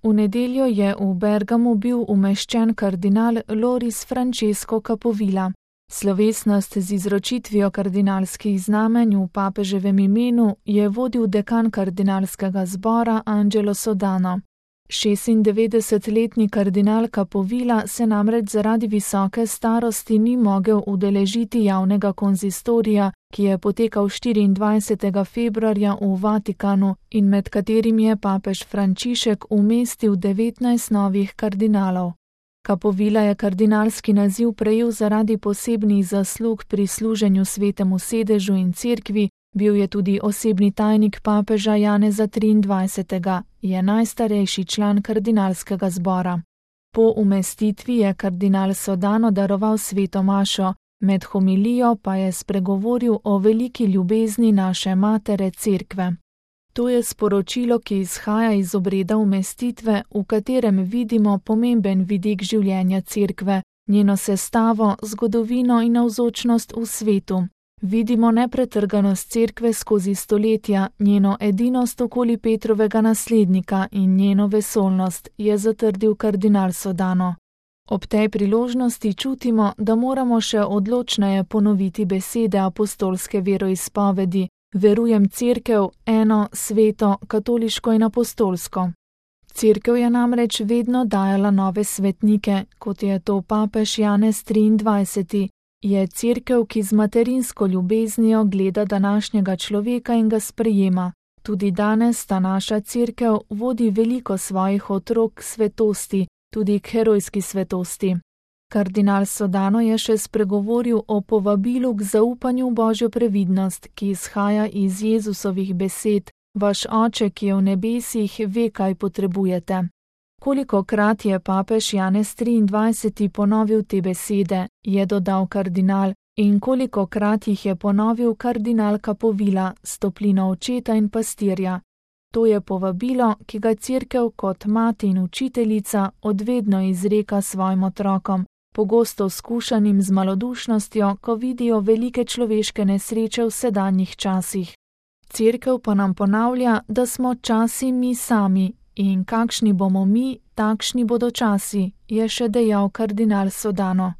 V nedeljo je v Bergamu bil umeščen kardinal Loris Francesco Capovilla. Slovesnost z izročitvijo kardinalskih znamenj v papeževem imenu je vodil dekan kardinalskega zbora Angelo Sodano. 96-letni kardinal Capovilla se namreč zaradi visoke starosti ni mogel udeležiti javnega konzistorija, ki je potekal 24. februarja v Vatikanu in med katerim je papež Frančišek umestil 19 novih kardinalov. Capovilla je kardinalski naziv prejel zaradi posebnih zaslug pri služenju Svetemu sedežu in cerkvi, bil je tudi osebni tajnik papeža Janeza 23., je najstarejši član kardinalskega zbora. Po umestitvi je kardinal Sodano daroval sveto mašo, med homilijo pa je spregovoril o veliki ljubezni naše matere cerkve. To je sporočilo, ki izhaja iz obreda umestitve, v katerem vidimo pomemben vidik življenja cerkve, njeno sestavo, zgodovino in navzočnost v svetu. Vidimo nepretrganost cerkve skozi stoletja, njeno edinost okoli Petrovega naslednika in njeno vesolnost, je zatrdil kardinal Sodano. Ob tej priložnosti čutimo, da moramo še odločneje ponoviti besede apostolske veroizpovedi: verujem cerkev, eno, sveto, katoliško in apostolsko. Cerkev je namreč vedno dajala nove svetnike, kot je to papež Janez 23. Je cerkev, ki z materinsko ljubeznijo gleda današnjega človeka in ga sprejema. Tudi danes ta naša cerkev vodi veliko svojih otrok k svetosti, tudi k herojski svetosti. Kardinal Sodano je še spregovoril o povabilu k zaupanju v Božjo previdnost, ki izhaja iz Jezusovih besed: vaš oče, ki je v nebesih, ve, kaj potrebujete. Kolikokrat je papež Janez 23. ponovil te besede, je dodal kardinal, in kolikokrat jih je ponovil kardinal Capovilla s toplino očeta in pastirja. To je povabilo, ki ga cerkev kot mati in učiteljica odvedno izreka svojim otrokom, pogosto skušanim z malodušnostjo, ko vidijo velike človeške nesreče v sedanjih časih. Cerkev pa nam ponavlja, da smo časi mi sami, in kakšni bomo mi, takšni bodo časi, je še dejal kardinal Sodano.